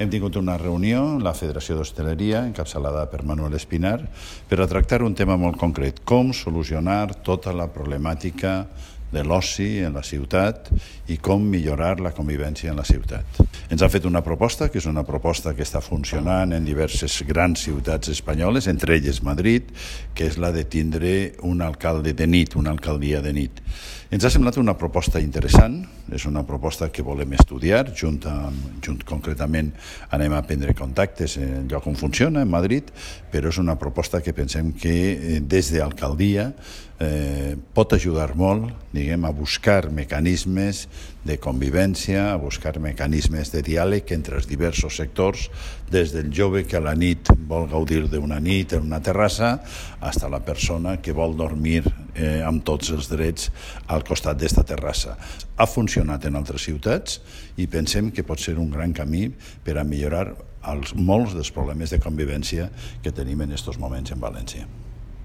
Hem tingut una reunió, la Federació d'Hostaleria, encapçalada per Manuel Espinar, per a tractar un tema molt concret, com solucionar tota la problemàtica de l'oci en la ciutat i com millorar la convivència en la ciutat. Ens ha fet una proposta, que és una proposta que està funcionant en diverses grans ciutats espanyoles, entre elles Madrid, que és la de tindre un alcalde de nit, una alcaldia de nit. Ens ha semblat una proposta interessant, és una proposta que volem estudiar, concretament anem a prendre contactes en el lloc on funciona, en Madrid, però és una proposta que pensem que des d'alcaldia pot ajudar molt, a buscar mecanismes de convivència, a buscar mecanismes de diàleg entre els diversos sectors, des del jove que a la nit vol gaudir d'una nit en una terrassa, fins a la persona que vol dormir amb tots els drets al costat d'esta terrassa. Ha funcionat en altres ciutats i pensem que pot ser un gran camí per a millorar molts dels problemes de convivència que tenim en aquests moments en València.